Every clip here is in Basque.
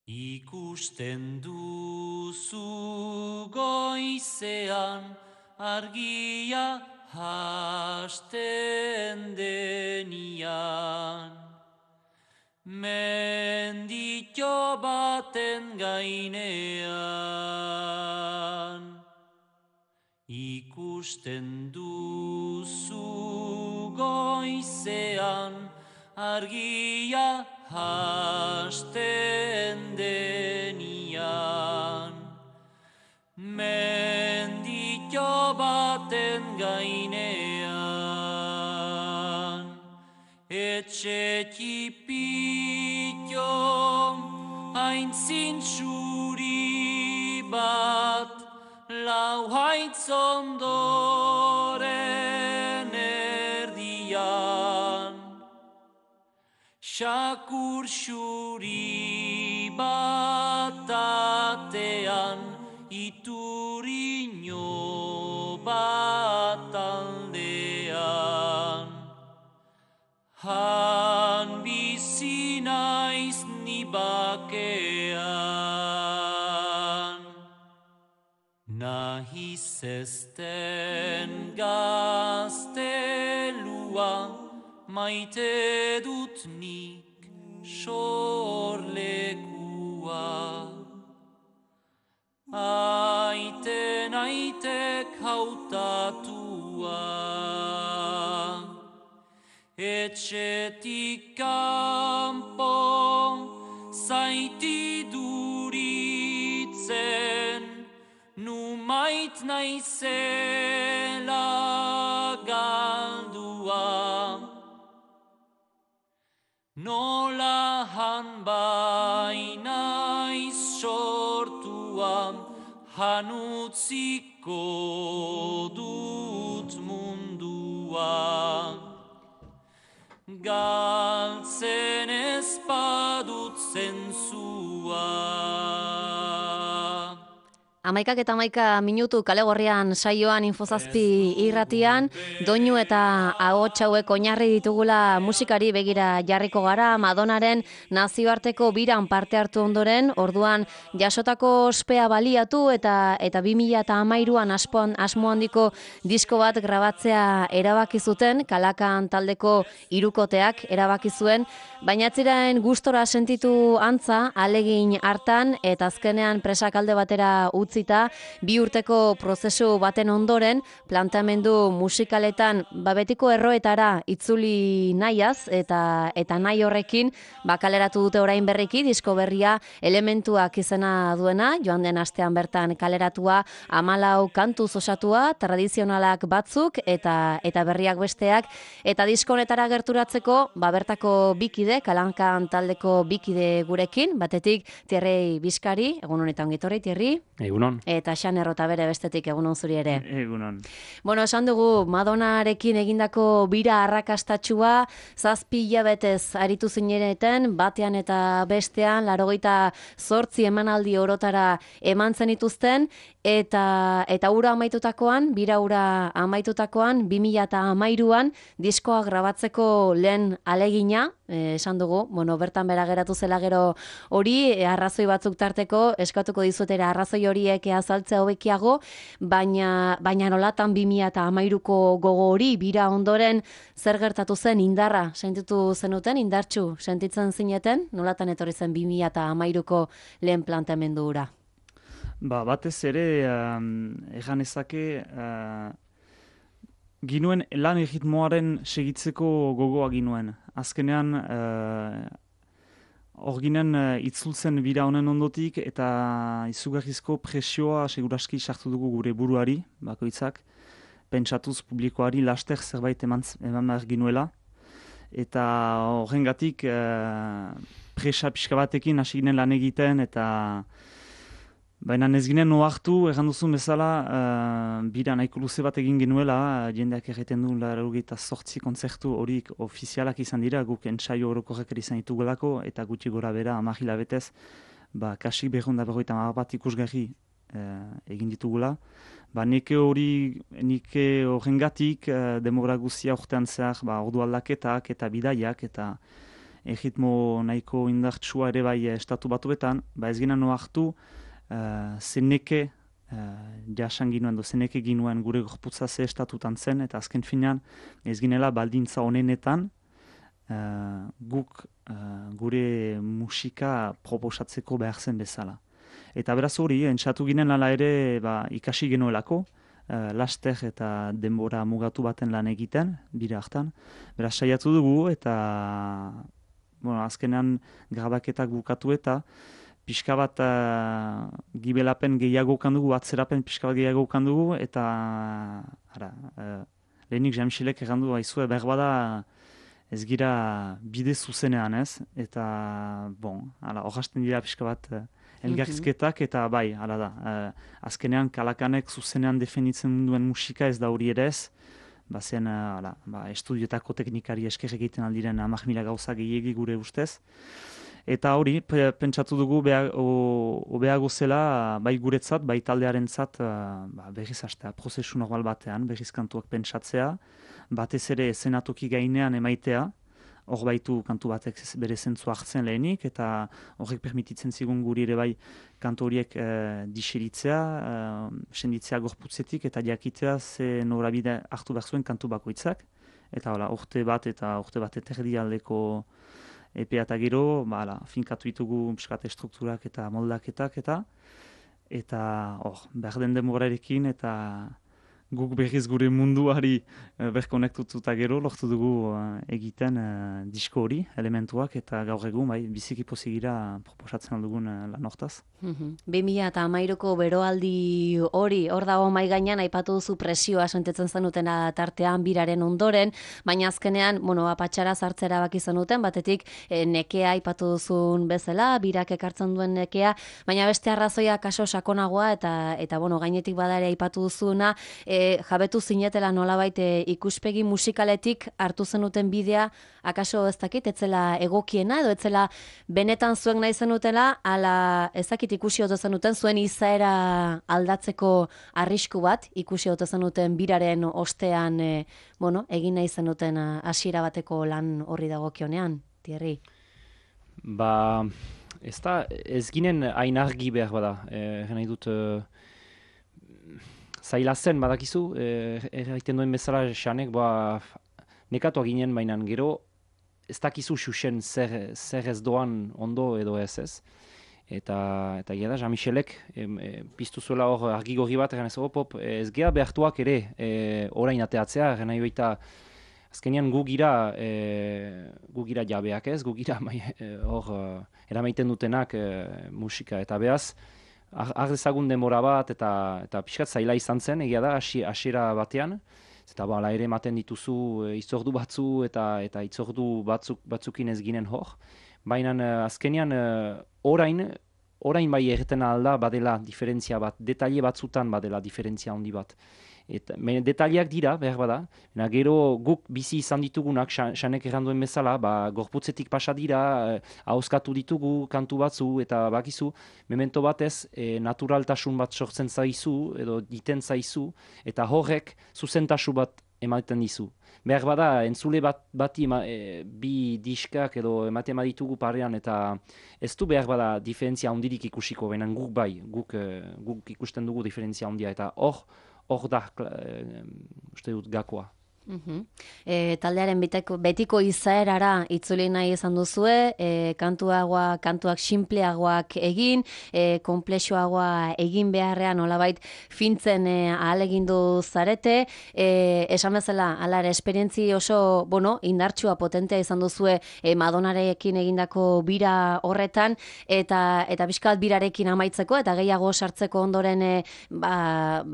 Ikusten duzu goizean argia hasten denian, menditxo baten gainean. Ikusten duzu goizean argia hasten denian, menditxo baten gainean. Etxe txipitxo hain zintzuri bat, lau haitz ondoren erdian. Sakur xuri bat atean, iturino bat aldean. Han bizi naiz ni bakean. Nahiz ezten gaztelua, maite dut nik sorlekua. Aiten aitek hautatua, etxetik kanpo zaiti duritzen, nu mait naizela galdua. Nola han bainaiz sortua, han utziko dut mundua. Galtzen ez badut zentzua. 11:11 kale gorrian saioan Infozazpi irratian, doinu eta ahots hauek oinarri ditugula musikari begira jarriko gara. Madonaren nazioarteko biran parte hartu ondoren, orduan jasotako ospea baliatu eta 2013an asmo handiko disko bat grabatzea erabaki zuten, Kalakan taldeko hirukoteak erabaki zuen, baina atziraen gustora sentitu antza, alegin hartan eta azkenean presakalde batera utzita, 2 urteko prozesu baten ondoren, planteamendu musikaletan betiko erroetara itzuli nahiaz eta nahi horrekin kaleratu dute orain berriki disko berria Elementuak izena duena, joan den astean bertan kaleratua, 14 kantuz osatua, tradizionalak batzuk eta berriak besteak, eta disko honetara gerturatzeko bertako bikide, Kalankan taldeko bikide gurekin, batetik Thierry Bizkari, egun honetan gitorri, Thierry. Egunon. Eta Xan Errota bere bestetik, egunon zuri ere. Egunon. Bueno, esan dugu, Madonarekin egindako bira arrakastatxua, 7 hilabetez aritu zinereten, batean eta bestean, 88 emanaldi orotara eman zenituzten, eta ura amaitutakoan, bira ura amaitutakoan, 2013an diskoa grabatzeko lehen alegina, esan dugu, bertan bera geratu zela gero hori, arrazoi batzuk tarteko, eskatuko dizuetera arrazoi horiek azaltzea hobekiago, baina nolatan 2013ko gogo hori, bira ondoren zer gertatu zen, indarra sentitu zenuten, indartsu sentitzen zineten, nolatan etorri zen 2013ko lehen planteamendu hura? Batez ere, egan ezake, ginuen lan erritmoaren segitzeko gogoa ginuen. Azkenean, hor ginen itzultzen bira honen ondotik eta izugarrizko presioa seguraski sartu dugu gure buruari, bakoitzak, pentsatuz publikoari laster zerbait eman behar ginuela. Eta horrengatik presa pixka batekin hasi ginen lan egiten eta baina ez ginen ohartu, egan duzun bezala, bira nahiko luze bat egin genuela, jendeak erreten du 88 kontzertu horik ofizialak izan dira, guk entsaio orokorrak izan ditugulako, eta gutxi gora bera 10 hilabetez, kasik 250 bat ikusgarri egin ditugula. Nike horrengatik demora guztia urtean zehar ordu aldaketak eta bidaiak, eta erritmo nahiko indartsua ere bai estatu batuetan, ba ez ginen ohartu zeneke jasan ginuen, zeneke ginuen gure gorputza ze estatutan zen, eta azken finean ez ginela baldintza honenetan guk gure musika proposatzeko behar zen bezala. Eta beraz hori, entzatu ginen ala ere ikasi genuelako, laster eta denbora mugatu baten lan egiten, bira hartan. Beraz saiatu dugu eta azkenean grabaketak bukatu eta pixka bat gibelapen gehiago dugu, atzerapen pixka bat gehiago dugu, eta lehenik Jean-Michelek errandu haizue, berbada ez gira bide zuzenean ez, eta horrazten dira pixka bat elgarrizketak, eta bai, hala da, azkenean Kalakanek zuzenean definitzen duen musika ez da hori ere ez, bazen estudiotako teknikari esker egiten aldiren 10.000 gauza gehiegi gure ustez. Eta hori, pentsatu dugu hobeago zela, bai guretzat, bai taldearentzat berriz hastea, prozesu normal batean, berriz kantuak pentsatzea, batez ere eszenatoki gainean emaitea, hor baitu kantu batek bere zentzu hartzen lehenik, eta horrek permititzen zigun guri ere bai kantu horiek diseritzea, senditzea gorputzetik, eta jakitea ze norabide hartu behar zuen kantu bakoitzak, eta urte bat eterdi aldeko epea eta gero, finkatu ditugu piskat strukturak eta moldaketak eta behar den demorarekin eta guk berriz gure munduari berkonektututa gero lortu dugu egiten disko hori, elementuak, eta gaur egun biziki pozigira proposatzen aldugun lan hortaz. 2013ko beroaldi hori, hor dago mai gainean aipatu duzu presioa sentitzen zenutena tartean biraren ondoren, baina azkenean, patxara sartzera baki zenuten, batetik nekea aipatu duzun bezala, birak ekartzen duen nekea, baina beste arrazoia kaso sakonagoa, eta gainetik badare aipatu duzuna, jabetu zinetela nolabait ikuspegi musikaletik hartu zenuten bidea, akaso ez dakit, etzela egokiena, edo etzela benetan zuek nahi zenutela, ala ez dakit ikusi ote zenuten, zuen izaera aldatzeko arrisku bat, ikusi ote zenuten biraren ostean, egin nahi zenuten hasiera bateko lan horri dagokionean, Thierry? Ez ginen hain argi behar bada, nahi dut... Zaila zen, badakizu, erraiten duen bezala xanek, nekatu ginen bainan gero, ez dakizu xuxen zer ez doan ondo edo ez. Eta gira da, Jean-Michelek piztu zuela hor argi gorri bat, ez geha behartuak ere orain ateatzea, nahi baita, azkenean gu gira jabeak ez, gu gira hor eramaiten dutenak musika, eta behaz, dezagun denbora bat eta pixkat zaila izan zen, egia da, hasiera batean. Eta ere ematen dituzu itzordu batzu eta itzordu batzukin ez ginen hor. Baina azkenean orain bai erreten alda badela diferentzia bat, detaile batzutan badela diferentzia handi bat. Detaileak dira, behar bada, gero guk bizi izan ditugunak, xanek erranduen bezala, gorputzetik pasa dira, ahoskatu ditugu kantu batzu, eta bakizu, memento batez, naturaltasun bat sortzen zaizu, edo diten zaizu, eta horrek zuzentasu bat ematen dizu. Behar bada, entzule bati bi diskak edo ematen ditugu parean, eta ez du behar bada diferentzia handirik ikusiko, baina guk bai, guk ikusten dugu diferentzia handia, eta hor da, uste dut, gakoa. Taldearen betiko izaerara itzuli nahi izan duzue, kantuak sinpleagoak egin, konplexuagoa egin beharrean nolabait fintzen ahalegindu zarete, esan bezala, alare, esperientzi oso, indartsua potentea izan duzue Madonarekin egindako bira horretan, eta pixkat birarekin amaitzeko, eta gehiago sartzeko ondoren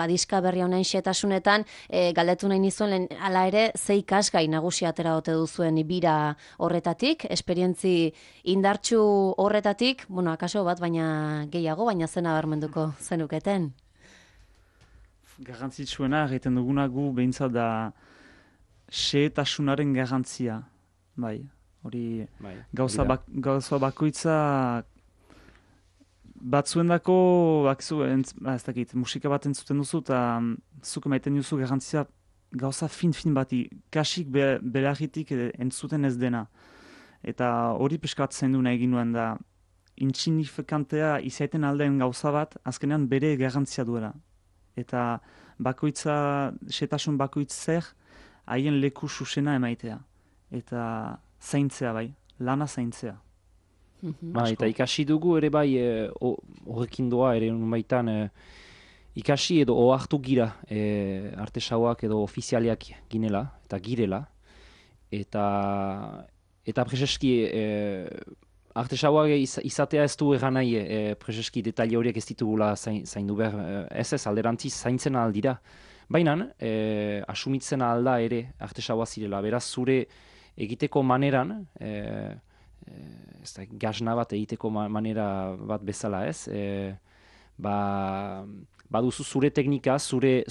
diska berri honen xetasunetan, galdetu nahi nizuen, ala ere, ze ikasgai nagusi atera ote duzuen bira horretatik, esperientzi indartsu horretatik, akaso bat, baina gehiago, baina zena barmenduko zenuketen. Garrantzitsuena, egiten duguna gu behintzat da xehetasunaren garrantzia. Hori gauza bakoitza batzuendako, ez dakit, musika bat entzuten duzu, eta zuk emaiten duzu garrantzia gauza fin bati, kasik belarritik entzuten ez dena. Eta hori peskatzen du nahi ginuen da, insignifikantea izaiten aldeen gauza bat, azkenean bere garrantzia duela. Eta bakoitza, setasun bakoitzer, haien leku susena emaitea. Eta zaintzea bai, lana zaintzea. Eta ikasi dugu ere bai horrekin doa ere unbaitan ikasi edo ohartu gira artesauak edo ofizialiak ginela eta girela. Eta prezeski artesauak izatea ez du egan nahi prezeski detaile horiek ez ditugula zaindu behar. Ez alderantziz zaintzen aldira. Baina asumitzen alda ere artesaua zirela. Beraz zure egiteko maneran, gazna bat egiteko manera bat bezala ez, baduzu zure teknika, zure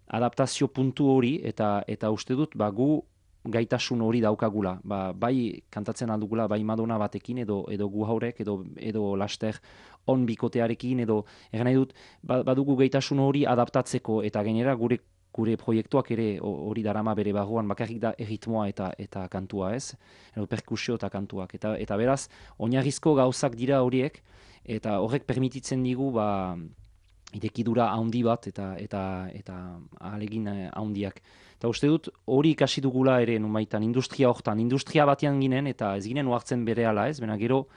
adaptazio puntu hori, eta uste dut gu gaitasun hori daukagula. Bai kantatzen aldugula, bai Madonna batekin, edo gu haurek, edo laster on bikotearekin, edo egan nahi dut, badugu gaitasun hori adaptatzeko, eta gainera gure proiektuak ere hori darama bere barruan, bakarrik da erritmoa eta kantua ez, edo perkusio eta kantuak. Eta beraz, oinarrizko gauzak dira horiek, eta horrek permititzen digu irekidura handi bat eta ahalegin handiak. Eta uste dut hori ikasi dugula ere numaitan industria hortan, industria batean ginen eta ez ginen uhartzen berehala ez, baina gero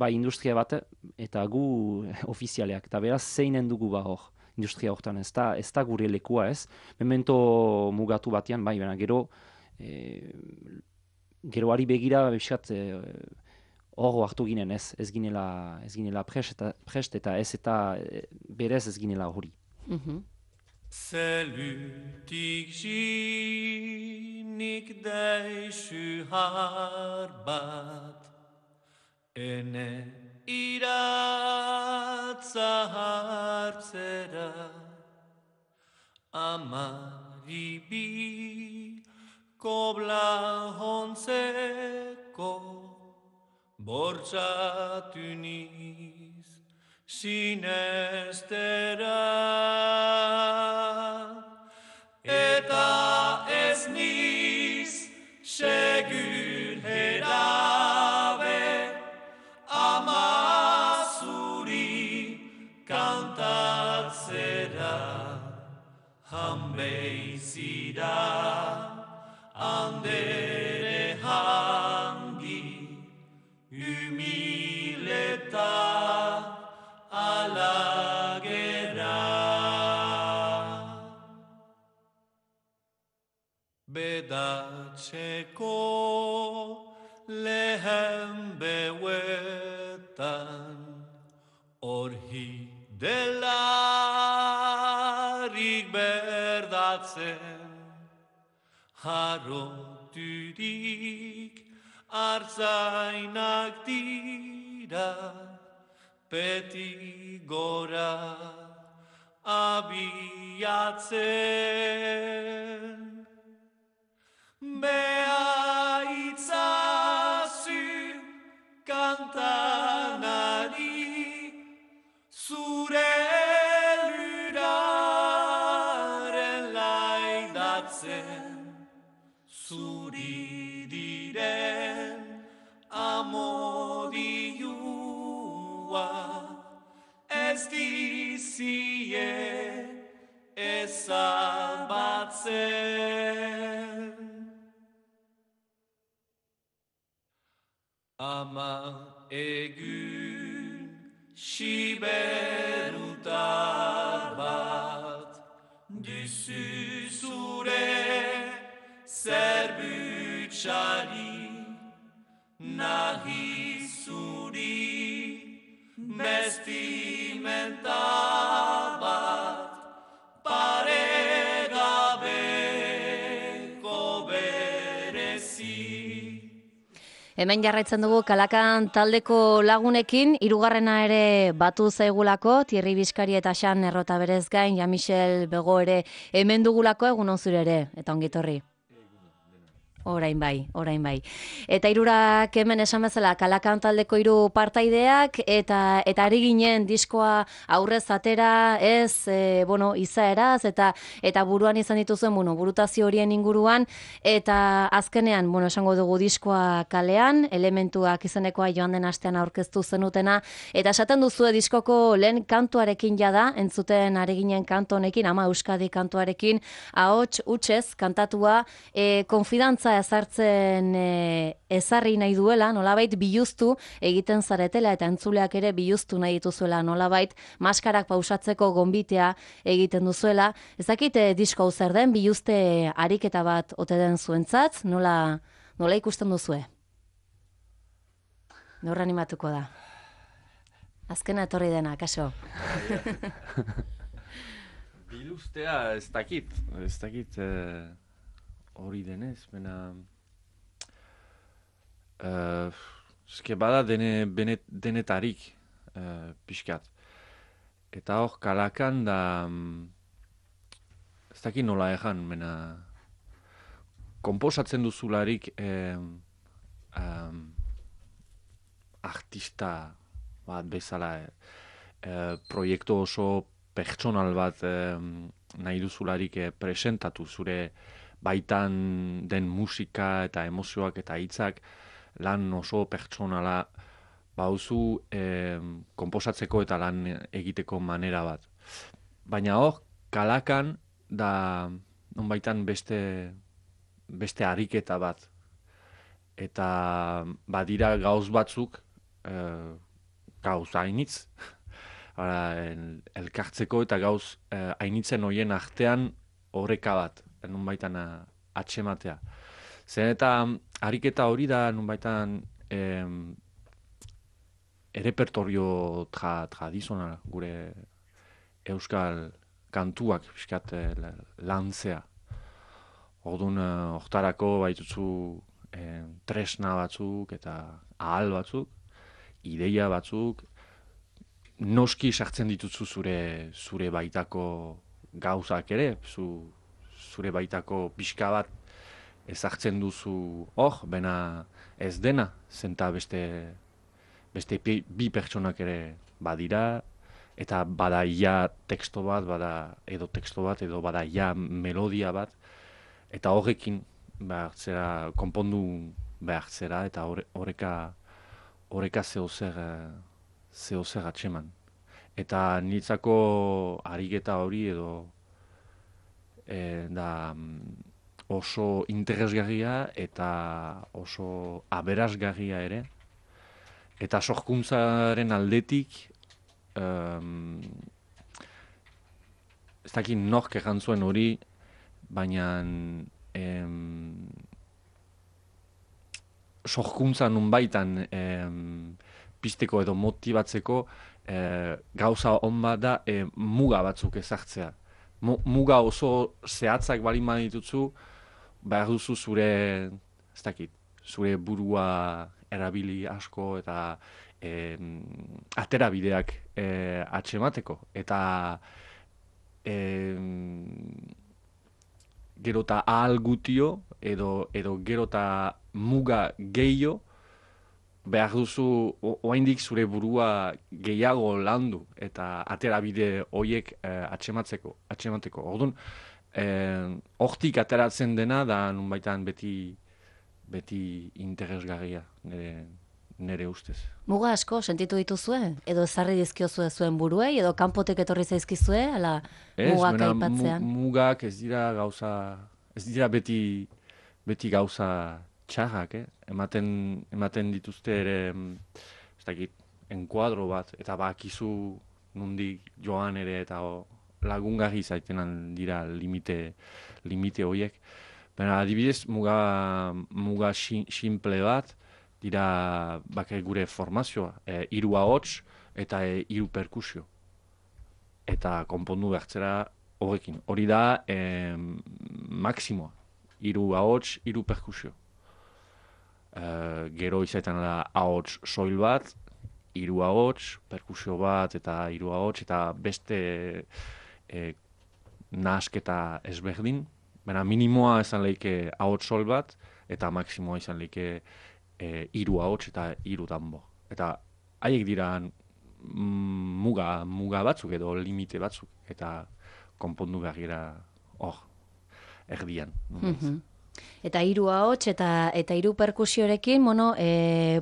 industria bat eta gu ofizialeak, eta beraz zeinen dugu hor. Industria hortan ez da gure lekua ez, memento mugatu batean baina geroari begira biskat hor hartu ginen ez ginela prest eta ez eta berez ez ginela hori. Zelutik jinik deixu har bat, ene iratza hartzera, amaribi kobla hontzeko, bortxatu niz sinestera. Eta ez niz segur herabe, ama zuri kantatzera, hanbeizira andere hangi, humileta alagera. Bedatzeko lehen behuetan, orhi delarik berdatzen, harroturik artzainak dira, beti gora abiatzen. Bea itzazu kantanari, zure luraren laidatzen, zuri diren amodioa, ez dizie ezabatzen. Ama egun siberutar bat, duzu zure zerbutxari, nahi zuri vestimenta bat, paregabeko berezi. Hemen jarraitzen dugu Kalakan taldeko lagunekin, hirugarrena ere batu zaigulako, Thierry Bizkari eta Xan Errota berez gain, Jean-Michel Bego ere hemen dugulako, egun on zure ere, eta ongi etorri. Orain bai. Eta hirurak hemen esan bezala Kalakan taldeko 3 partaideak eta ari ginen diskoa aurrez atera, izaeraz eta buruan izan dituzuen, burutazio horien inguruan eta azkenean, esango dugu diskoa kalean, elementuak izenekoa joan den astean aurkeztu zenutena eta esaten duzue diskoko lehen kantuarekin jada, entzuten ari ginen kantu honekin, Ama Euskadi kantuarekin, ahots hutsez kantatua, konfidantza ezartzen ezarri nahi duela, nolabait biluztu egiten zaretela eta entzuleak ere biluztu nahi dituzuela, nolabait maskarak pausatzeko gonbitea egiten duzuela. Ez dakit disko hau zer den, biluzte ariketa bat ote den zuentzat, nola ikusten duzue? Nor animatuko da? Azkena etorri dena, kaso? Biluztea ez dakit hori denez, bena... bada denetarik pixkat. Eta hor, Kalakan da... ez dakit nola ejan, bena... Komposatzen duzularik artista bat bezala, proiektu oso pertsonal bat nahi duzularik presentatu zure baitan den musika eta emozioak eta hitzak lan oso pertsonala bauzu komposatzeko eta lan egiteko manera bat. Baina hor, Kalakan da nonbaitan beste ariketa bat. Eta badira gauz batzuk, gauz hainitz, elkartzeko eta gauz hainitzen horien artean oreka bat, nonbaitan atxematea. Zer eta ariketa hori da nonbaitan errepertorio tradizionala gure euskal kantuak pixkat lantzea. Orduan, hortarako baituzu tresna batzuk eta ahal batzuk, ideia batzuk, noski sartzen dituzu zure baitako gauzak ere, zure baitako pixka bat ezartzen duzu bena ez dena, zenta beste bi pertsonak ere badira, eta bada ia teksto bat, edo bada ia melodia bat, eta horrekin konpondu behar zera, eta horreka zehozer atxeman. Eta niretzako ariketa hori edo da oso interesgarria eta oso aberasgarria ere. Eta sorkuntzaren aldetik ez dakit nork errantzuen hori, baina sorkuntza nunbaitan pizteko edo motibatzeko gauza on bat da muga batzuk ezartzea. Muga oso zehatzak balin badituzu, behar duzu zure burua erabili asko eta aterabideak atxemateko. Eta gero eta ahal gutio edo gero eta muga gehiago behar duzu oraindik zure burua gehiago landu eta aterabide horiek atxemateko. Orduan, hortik ateratzen dena da nunbaitan beti interesgarria nire ustez. Muga asko sentitu dituzue? Edo ezarri dizkiozue zuen buruei? Edo kanpotek etorri zaizkizue? Ala mugak aipatzean? Mugak ez dira beti gauza txarrak, ematen dituzte ere, ez dakit, enkuadro bat, eta bakizu nundik joan ere, eta lagungarri zaitenan dira limite horiek. Baina adibidez, muga simple bat, dira bakar gure formazioa, 3 ahots eta 3 perkusio. Eta konpondu behartzera horrekin. Hori da maksimoa, 3 ahots, 3 perkusio. Gero izaiten da ahots soil bat, 3 ahots, perkusio bat eta 3 ahots, eta beste nahasketa ezberdin. Baina minimoa esan lehike ahots soil bat, eta maksimoa izan like 3 ahots eta 3 danbo. Eta haiek dira muga batzuk edo limite batzuk, eta konpondu behar gira hor, erdian. Eta 3 ahots eta 3 perkusiorekin,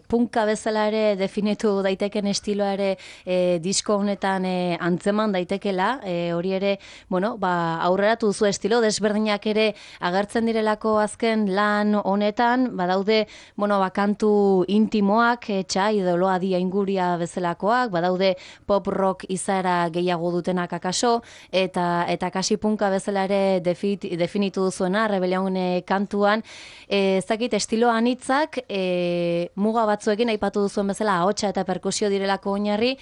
punka bezala ere definitu daiteken estiloa ere disko honetan antzeman daitekela, hori ere, aurreratu duzu estilo desberdinak ere agertzen direlako azken lan honetan, badaude, kantu intimoak, txai edo loa dia inguria bezalakoak, badaude pop rock izaera gehiago dutenak akaso, eta kasi punka bezala ere definitu duzuena, Rebelión kantuan, ez dakit estilo anitzak, muga batzuekin aipatu duzuen bezala ahotsa eta perkusio direlako oinarri,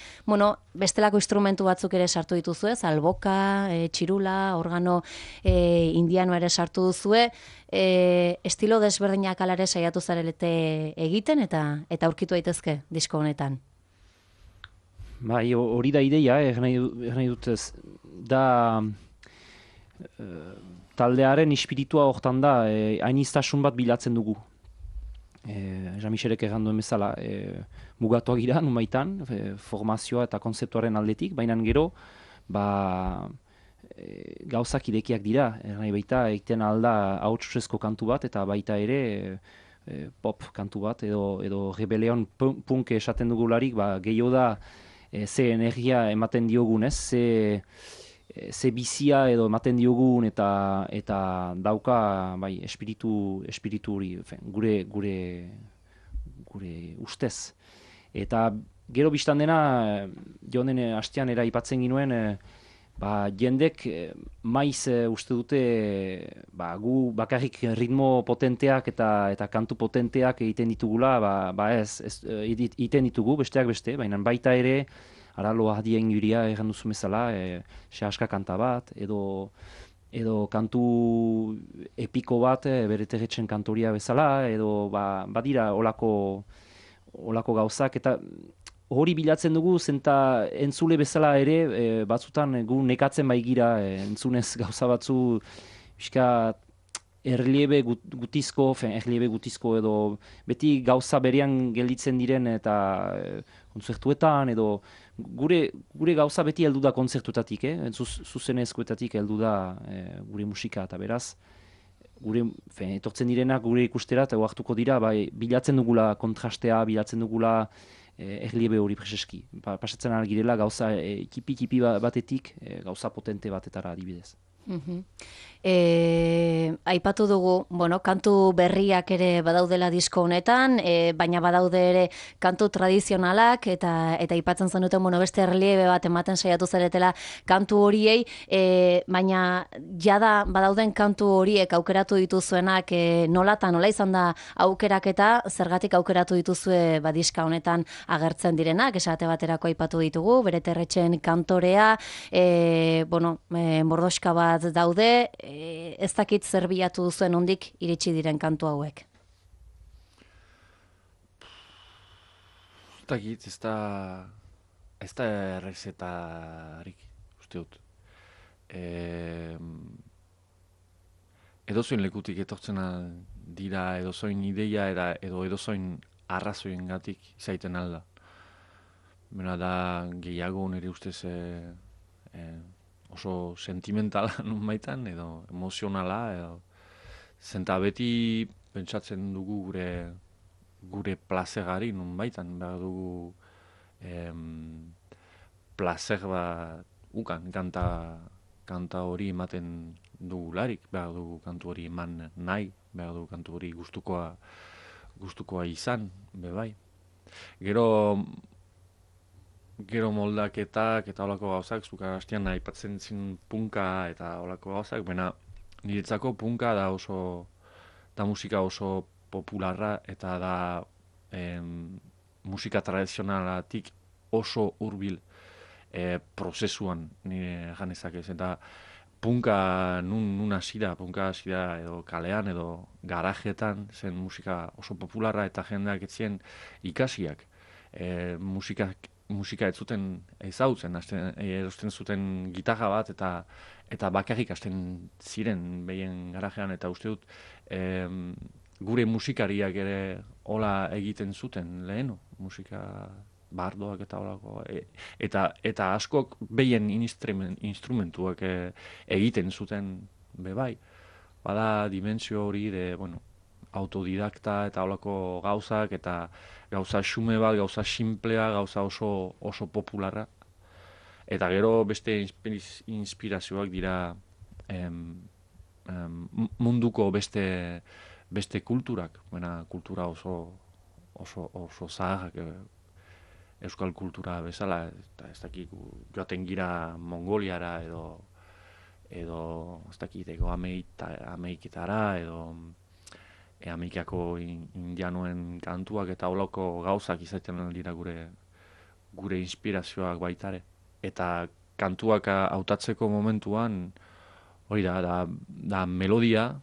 bestelako instrumentu batzuk ere sartu dituzue, alboka, txirula, organo indiano ere sartu duzue, estilo desberdinak alare saiatu zarelete egiten eta aurkitu daitezke disko honetan. Bai, hori da ideia, nahi dut ez, da taldearen espiritua hortan da, hainiztasun bat bilatzen dugu. Jean-Michelek erran duen bezala, mugatuak gira, numaitan, formazioa eta konzeptuaren aldetik, baina gero, gauzak irekiak dira, nahi baita, egiten alda ahotsuzko kantu bat, eta baita ere pop kantu bat, edo Rebelión punk esaten dugularik, gehiago da, ze energia ematen diogun, ze bizia edo ematen diogun eta dauka espiritu hori gure ustez. Eta gero biztan dena, joan den hastean aipatzen ginuen, jendek maiz uste dute gu bakarrik ritmo potenteak eta kantu potenteak egiten ditugula, egiten ditugu besteak beste, baina baita ere Loa dia inguria erran duzu bezala, sehaska kanta bat, edo kantu epiko bat, bere terretzen kantoria bezala, edo badira olako gauzak, eta hori bilatzen dugu, zenta entzule bezala ere, batzutan gu nekatzen baigira, entzunez gauza batzu, pixka erliebe gutizko edo beti gauza berean gelditzen diren eta kontzertuetan edo gure gauza beti heldu da kontzertuetatik, zuzenezkoetatik heldu da gure musika eta beraz etortzen direnak gure ikustera eta hartuko dira, bilatzen dugula kontrastea, bilatzen dugula erliebe hori preseski. Pasatzen algirela gauza kipi batetik gauza potente batetara adibidez. Aipatu dugu, kantu berriak ere badaudela disko honetan, baina badaude ere kantu tradizionalak eta aipatzen zenuten beste erliebe bat ematen saiatu zaretela kantu horiei, baina jada badauden kantu horiek aukeratu dituzuenak nola izan da aukeraketa, zergatik aukeratu dituzue diska honetan agertzen direnak, esate baterako aipatu ditugu, bere terretxen kantorea, mordoska bat daude, ez dakit zer bilatu duzuen ondik iritsi diren kantu hauek. Ez dakit, ez da errezetarik, uste dut. Edozoin lekutik etortzen dira, edozoin ideia edo edozoin arrazoien gatik izaiten alda. Bena da gehiago nire ustez oso sentimentala nun baitan, edo emozionala, edo zenta beti pentsatzen dugu gure plazegari nun baitan, behar dugu plazer bat ukan, kanta hori ematen dugularik, behar dugu kantu hori eman nahi, behar dugu kantu hori gustukoa izan, bebai. Gero moldaketak eta holako gauzak, zuka hastian aipatzen zin punka eta holako gauzak, baina niretzako punka da musika oso popularra eta da musika tradizionalatik oso hurbil prozesuan nire janezak ez. Eta punka nun hasi da, edo kalean edo garajetan zen musika oso popularra eta jendeak etzien ikasiak. Musika ez zuten ezautzen, erosten zuten gitarra bat eta bakarrik hasten ziren behien garajean, eta uste dut gure musikariak ere hola egiten zuten lehenu, musika bardoak eta holako, eta askok behien instrumentuak egiten zuten bebai. Bada dimensio hori bueno, autodidakta eta holako gauzak, eta gauza xume bat, gauza simplea, gauza oso popularra. Eta gero beste inspirazioak dira munduko beste kulturak, kultura oso zaharrak, euskal kultura bezala, eta ez dakik joaten gira Mongoliara edo ez dakiteko Ameriketara edo Amerikako indianoen kantuak eta holako gauzak izaten dira gure inspirazioak baitare. Eta kantuak hautatzeko momentuan hori da melodia,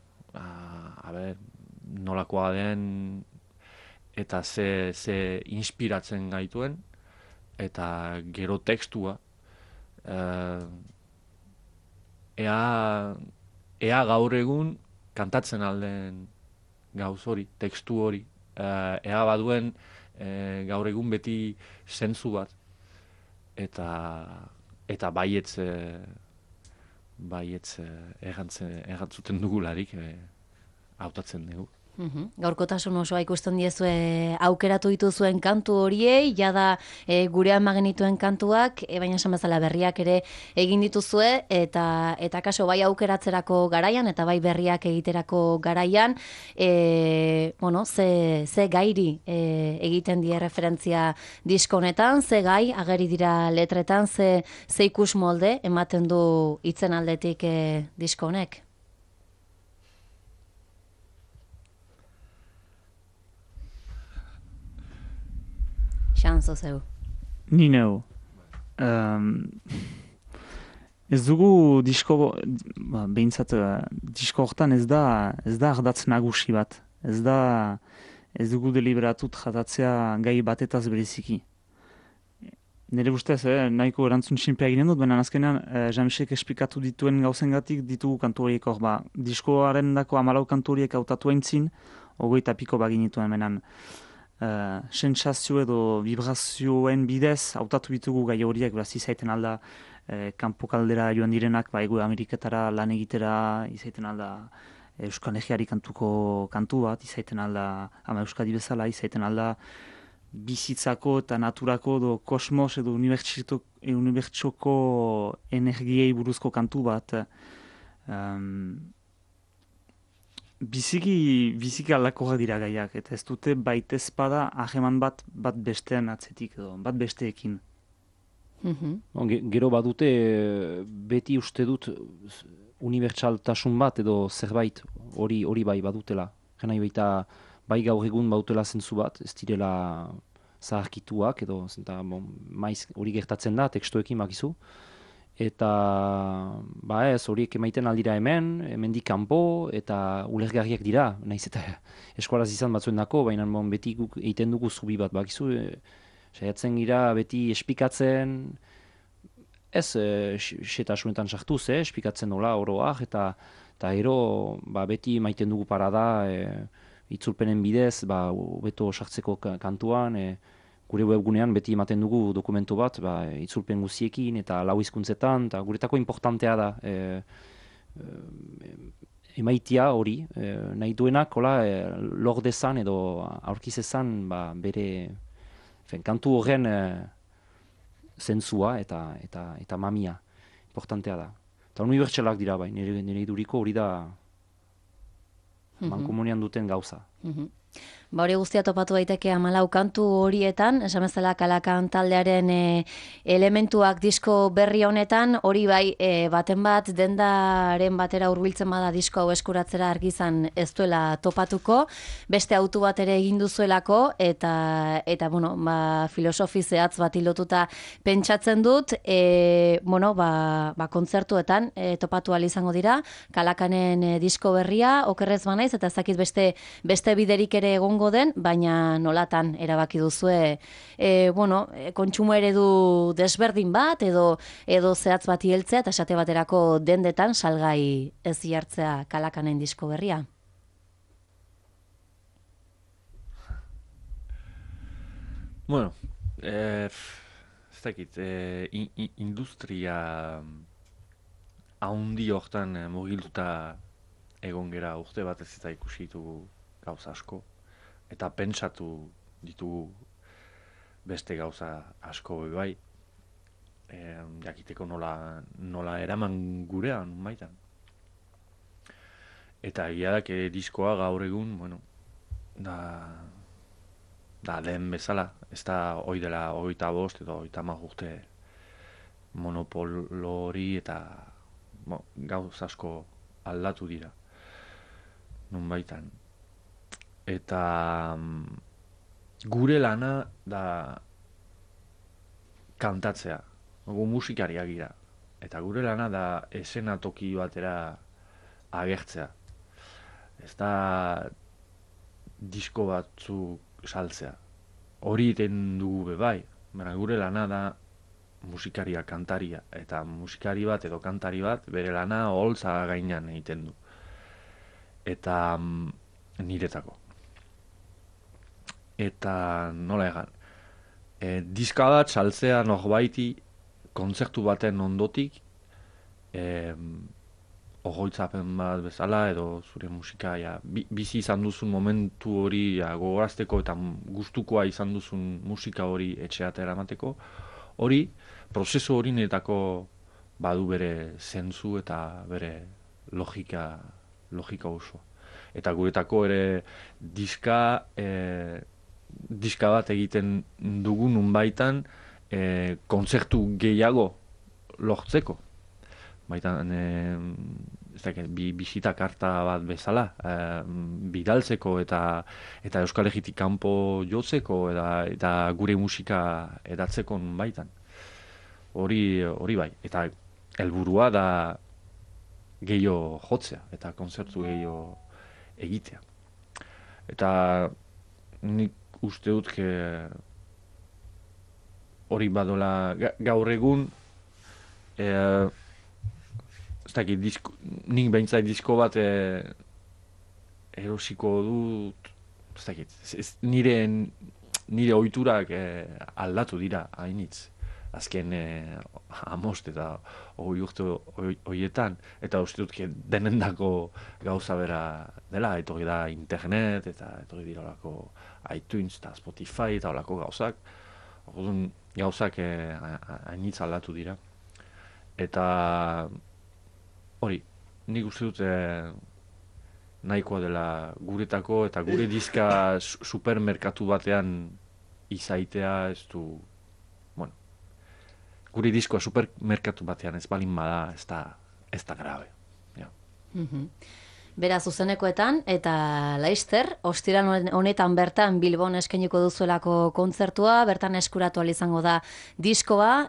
nolakoa den eta ze inspiratzen gaituen, eta gero tekstua, ea gaur egun kantatzen alden gauz hori, tekstu hori, ea baduen gaur egun beti zentzu bat, eta baietz errantzuten dugularik hautatzen dugu. Gaurkotasun osoa ikusten diezue aukeratu dituzuen kantu horiei, jada gurean magenituen kantuak, baina esan bezala berriak ere egin dituzue, eta kaso bai aukeratzerako garaian, eta bai berriak egiterako garaian, ze gairi egiten die referentzia disko honetan, ze gai ageri dira letretan, ze ikus molde ematen du hitzen aldetik disko honek. Xanzo zeu. Ni neu. Ez dugu disko, behintzat, disko hortan ez da ardatz nagusi bat. Ez dugu deliberatut jatatzea gai batetaz bereziki. Nire ustez, nahiko erantzun sinpea eginen dut, baina azkenean Jean-Michek esplikatu dituen gauzengatik ditugu kantu horiek hor. Diskoaren dako 14 kantu horiek hautatu aintzin, 20 piko baginituen menan. Sentsazio edo vibrazioen bidez hautatu ditugu gai horiek, beraz izaiten alda kanpo kaldera joan direnak, Ego Ameriketara lan egitera, izaiten alda Euskal Herriari kantuko kantu bat, izaiten alda ama Euskadi bezala, izaiten alda bizitzako eta naturako edo kosmos edo unibertsoko energiei buruzko kantu bat. Biziki aldakorrak dira gaiak, eta ez dute baitezpada aheman bat bestean atzetik edo, bat besteekin. Gero badute beti uste dut unibertsaltasun bat edo zerbait hori bai badutela. Gena baita bai gaur egun bautela zentzu bat, ez direla zaharkituak edo maiz hori gertatzen da tekstuekin bakizu. Eta ez horiek emaiten aldira hemendik kanpo, eta ulergarriak dira, nahiz eta eskualaz izan batzuen dako, baina beti guk egiten dugu zubi bat, bakizu, saiatzen gira beti espikatzen, ez setasunetan sartuz, espikatzen nola oroak, eta ero beti emaiten dugu parada, itzulpenen bidez, beto sartzeko kantuan, gure webgunean beti ematen dugu dokumentu bat, itzulpen guziekin eta 4 hizkuntzetan, eta guretako importantea da emaitia hori, nahi duenak lor dezan edo aurkizezan bere kantu horren zentzua eta mamia importantea da. Eta unibertsalak dira bai, nire iduriko hori da mankomunian duten gauza. Hori guztia topatu daiteke 14 kantu horietan, esan bezala Kalakan taldearen elementuak disko berri honetan, hori bai baten bat dendaren batera hurbiltzen bada disko hau eskuratzera argizan ez duela topatuko, beste autu bat ere egin duzuelako, eta filosofi zehatz bat lotuta pentsatzen dut, kontzertuetan topatu ahal izango dira, Kalakanen disko berria, okerrez banaiz, eta ezakit beste biderik ere egongo den, baina nolatan erabaki duzue kontsumo eredu desberdin bat edo zehatz bati heltzea eta esate baterako dendetan salgai ez jartzea Kalakanen disko berria. Bueno, ez dakit, industria haundi hortan mugilduta egon gera urte bat ez eta ikusi ditugu gauza asko. Eta pentsatu ditugu beste gauza asko bai. Jakiteko nola eraman gurean baitan. Eta egia da, diskoa gaur egun, bueno, da den bezala, ez da hoi dela 25 edo 30 urte monopolo hori eta gauz asko aldatu dira. Nun baitan. Eta gure lana da kantatzea. Gu musikariak gira. Eta gure lana da eszenatoki batera agertzea. Ez da disko batzuk saltzea. Hori iten dugu bai. Baina gure lana da musikaria, kantaria. Eta musikari bat edo kantari bat bere lana holtza gainean egiten du. Eta niretako. Eta nola egan. Diska bat saltzea norbaiti kontzertu baten ondotik ogoitzapen bat bezala edo zure musika bizi izan duzun momentu hori gogorazteko eta gustukoa izan duzun musika hori etxeat eramateko, hori, prozesu hori niretako badu bere zentzu eta bere logika oso. Eta guretako ere diska bat egiten dugun unbaitan kontzertu gehiago lortzeko. Baitan, bisita karta bat bezala, bidaltzeko eta Euskal Herritik kanpo jotzeko eta gure musika edatzeko baitan. Hori bai, eta helburua da gehiago jotzea eta kontzertu gehiago egitea. Eta nik uste dut hori badola gaur egun nik behintzat disko bat erosiko dut nire ohiturak aldatu dira hainitz azken 5 eta 20 urte horietan eta uste dut denendako gauza bera dela, etorri da internet eta etorri dira olako iTunes eta Spotify eta olako gauzak. Orduan gauzak hainitz aldatu dira. Eta hori, nik uste dut nahikoa dela guretako eta gure diska supermerkatu batean izaitea ez du, bueno, gure diskoa supermerkatu batean ez balin bada ez da grabe. Ja. Bera zuzenekoetan eta laister, ostiral honetan bertan Bilbon eskainiko duzuelako kontzertua, bertan eskuratu izango da diskoa,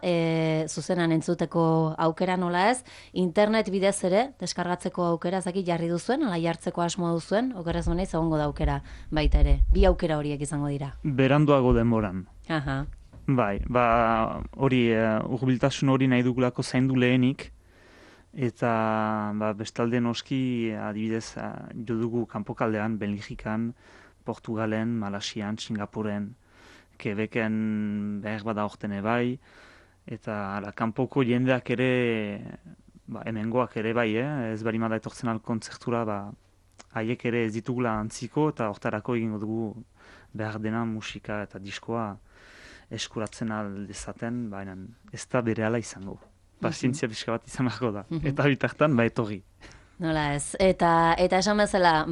zuzenan entzuteko aukera nola ez, internet bidez ere, deskargatzeko aukera ezakit jarri duzuen, ala jartzeko asmoa duzuen, okerrez honeiz egongo da aukera baita ere. Bi aukera horiek izango dira. Beranduago denboran. Aha. Bai, hori hurbiltasun hori nahi dugulako zaindu lehenik, eta bestalde noski adibidez jo dugu kanpokaldean, Belgikan, Portugalen, Malasian, Singapuren, Quebecen behar bada ortene bai, eta kanpoko jendeak ere, hemengoak ere bai, ez bari mada etortzen kontzertura, haiek ere ez ditugula antziko, eta hortarako egingo dugu behar dena musika eta diskoa eskuratzen aldezaten, baina ez da berehala izango. Pazientzia pixka bat izan beharko da. Eta bitartan, etorri. Nola ez. Eta esan bezala,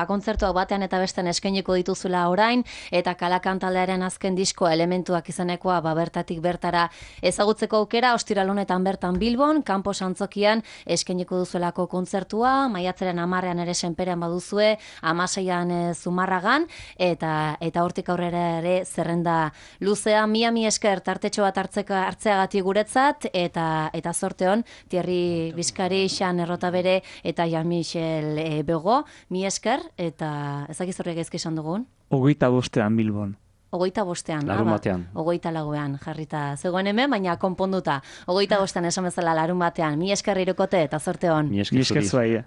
kontzertuak batean eta besten eskainiko dituzula orain, eta Kalakan taldearen azken diskoa elementuak izanekoa bertatik bertara ezagutzeko aukera, ostiral honetan bertan Bilbon, kanpo Santzokian eskainiko duzuelako kontzertua, maiatzaren 10ean ere Senperean baduzue, 16ean Zumarragan, eta hortik aurrera ere zerrenda luzea, mi esker tartetxo bat hartzeagatik guretzat, eta zorte hon, Thierry Bizkari, Xan Errotabere, eta Jean-Michel Bego, mi esker, eta ezakiz horrek ezke esan dugun? 25ean Bilbon. 25ean. Larun batean. 24ean jarrita zegoen hemen, baina konponduta. 25ean esan bezala larun batean. Mi esker Irukote, eta zorte hon. Mi esker zuai.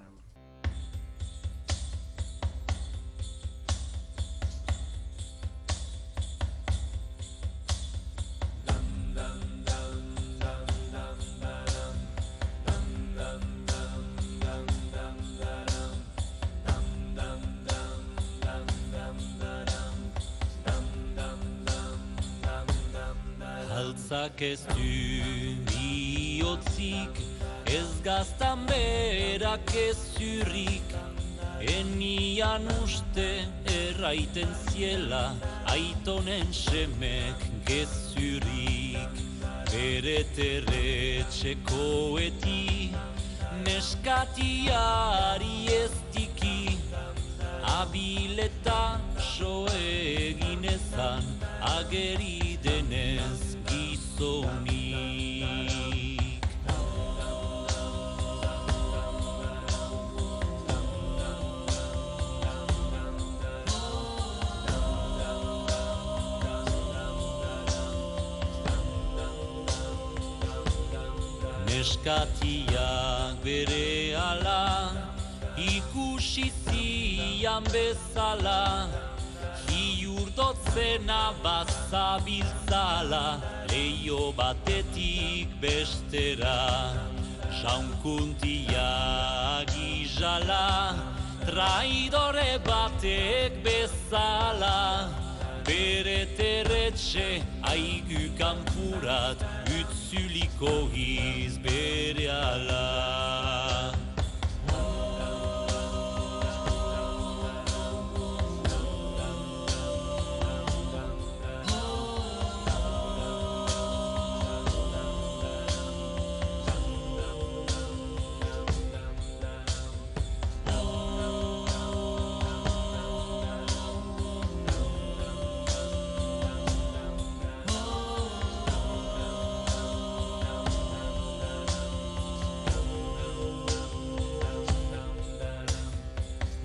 Gauzak ez du bihotzik, ez gaztan berak ez zurrik, enian uste erraiten ziela, aitonen semek gezurik. Bere terretxekoeti, neskatiari ez diki, abileta so egin ezan, ageri denez gizonik. Neskatiak bere ala, ikusi zian bezala, hiurdotzena bazabiltzala, leio batetik bestera. Jaunkuntia gizala, traidore batek bezala, bere terretxe aigu kanpurat, utzuliko giz bere ala.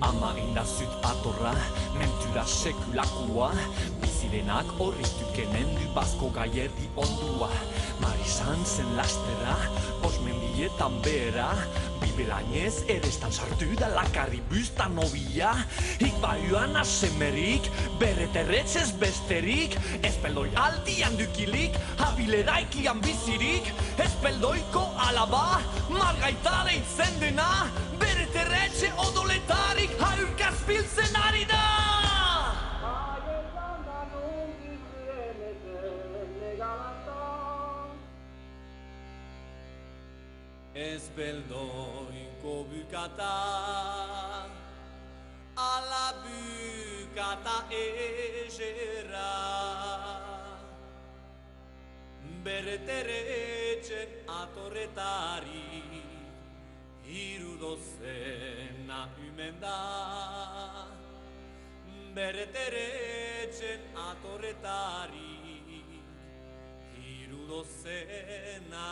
Ama indazut atorra, mentura sekulakoa, bizirenak horritukenen du bazko gaierdi ondua. Marisan zen lastera, osmendietan behera, bibelainez erestan sartu da lakarri buzta nobia. Ikbaiuan asemerik, bere terretzez besterik, ezpeldoi aldian dukilik, abileraikian bizirik, ezpeldoiko alaba, margaitare itzen dena, bere terretxe odoletarik haurkaz biltzen ari da! Ezpeldoiko bukata, ala bukata ezera, bere terretxen atorretari, hirudozena ümen da. Bere terretxen atorretari, hirudozena